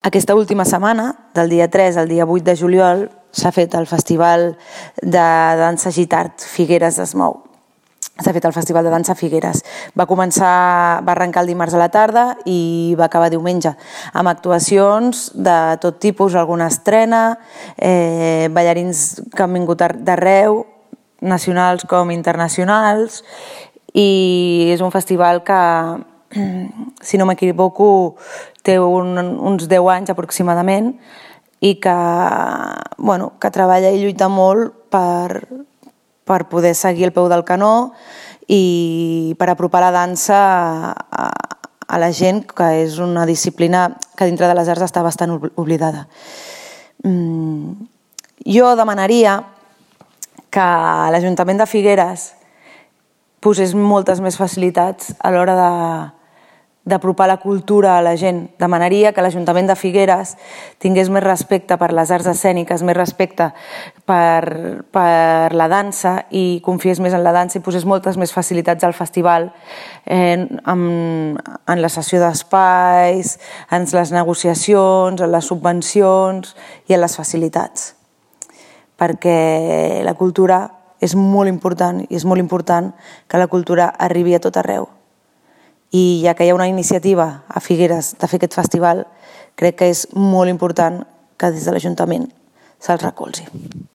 Aquesta última setmana, del dia 3 al dia 8 de juliol, s'ha fet el Festival de Dansa Gitart Figueres es mou. S'ha fet el Festival de Dansa Figueres. Va arrencar el dimarts a la tarda i va acabar diumenge, amb actuacions de tot tipus, alguna estrena, ballarins que han vingut d'arreu, nacionals com internacionals, i és un festival que, si no m'equivoco, té uns 10 anys aproximadament i que treballa i lluita molt per poder seguir el peu del canó i per apropar la dansa a la gent, que és una disciplina que dintre de les arts està bastant oblidada. Jo demanaria que l'Ajuntament de Figueres posés moltes més facilitats a l'hora d'apropar la cultura a la gent. Demanaria que l'Ajuntament de Figueres tingués més respecte per les arts escèniques, més respecte per la dansa i confiés més en la dansa i posés moltes més facilitats al festival en la cessió d'espais, en les negociacions, en les subvencions i en les facilitats. Perquè la cultura és molt important i és molt important que la cultura arribi a tot arreu. I ja que hi ha una iniciativa a Figueres de fer aquest festival, crec que és molt important que des de l'Ajuntament se'ls recolzi.